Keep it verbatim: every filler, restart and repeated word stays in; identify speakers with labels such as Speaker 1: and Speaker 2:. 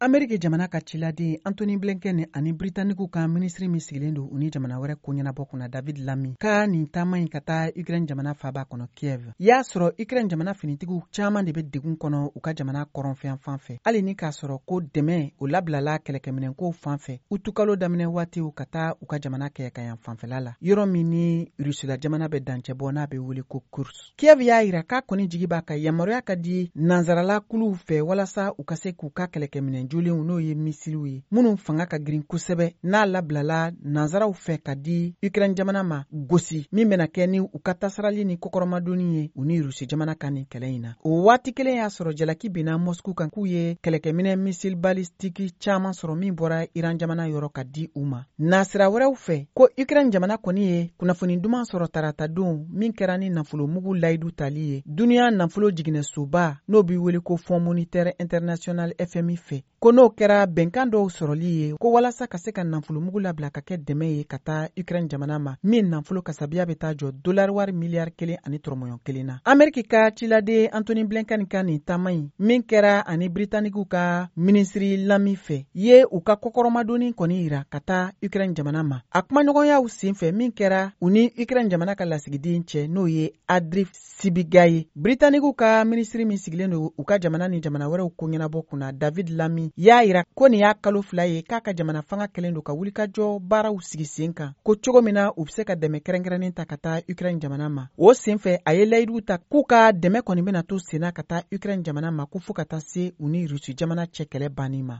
Speaker 1: Ameriki jamana ka ciladen Antony Blinken ani Britanikiw ka minisiri min sigilen don u ni jamana wɛrɛ ko ɲɛnabɔ kunna, David Lammy, ka nin taama in ka taa Ukraine jamana faba kɔnɔ Kiev, y'a sɔrɔ Ukraine jamana finitigiw caaman de be degun kɔnɔ u ka jamana kɔrɔnfɛn fan fɛ, hali ni k'a sɔrɔ ko dɛmɛ o labilala kɛlɛkɛminɛnkow fan fɛ utukalo daminɛ waatiw ka taa u ka jamana kɛɲɛkayan fanfɛla la, yɔrɔ min ni Rusila jamana bɛ dancɛ bɔ, n'a bɛ wele ko Kursk. Kiev y'a yira k'a kɔni jigi b'a ka yamaruya ka di nansarala kuluw fɛ walasa u ka se k'u ka kɛlɛkɛminɛn jolenw, n'o ye misiliw ye minnu fanga ka girin kosɛbɛ, n'a labilala nansaraw fɛ ka di Ukraine jamana ma, gosi min bɛna kɛ ni u ka tasarali ni kɔkɔrɔmadonni ye u ni Rusi jamana ka nin kɛlɛ in na. O waati kelen y'a sɔrɔ jalaki binna Mosku kan k'u ye kɛlɛkɛminɛ missile balistique caaman sɔrɔ min bɔra Iran jamana yɔrɔ ka di u ma. Nasira wɛrɛw fɛ, ko Ukraine jamana kɔni ye kunnafoni duman sɔrɔ tarata don min kɛra ni nafolomugu layidu tali ye duniɲa nafolo jiginɛsoba, n'o b'i wele ko Fonds monétaire international, F M I fɛ, ko n'o kɛra bɛnkan dɔw sɔrɔli ye ko walasa ka se ka nafolomugu labila ka kɛ dɛmɛ ye ka taa Ukraine jamana ma, min nafolo kasabiya bɛ taa jɔ dolari wari miliyari kelen ani tɔrɔmɔɲɔ kelen na. Ameriki ka ciladen Antony Blinken ka nin taama in min kɛra ani Britanikiw ka minisiri Lammy fɛ ye u ka kɔkɔrɔmadonni kɔni yira ka taa Ukraine jamana ma. A kumaɲɔgɔnyaw sen fɛ min kɛra u ni Ukraine jamana ka lasigiden cɛ, n'o ye Andrii Sybiga ye, Britanikiw ka minisiri min sigilen don u ka jamana ni jamana wɛrɛw ko ɲɛnabɔ kunna, David Lammy, y'a yira ko nin y'a kalo fila ye k'a ka jamana fanga kɛlen don ka wulikajɔ baaraw sigi sen kan, ko cogo min na u be se ka dɛmɛ kɛrɛnkɛrɛnnen ta ka taa Ukraine jamana ma. O sen fɛ, a ye layiduw ta k'u ka dɛmɛ kɔni bena to senna ka taa Ukraine jamana ma, ko fɔɔ ka taa se u ni Rusi jamana cɛ kɛlɛ banni ma.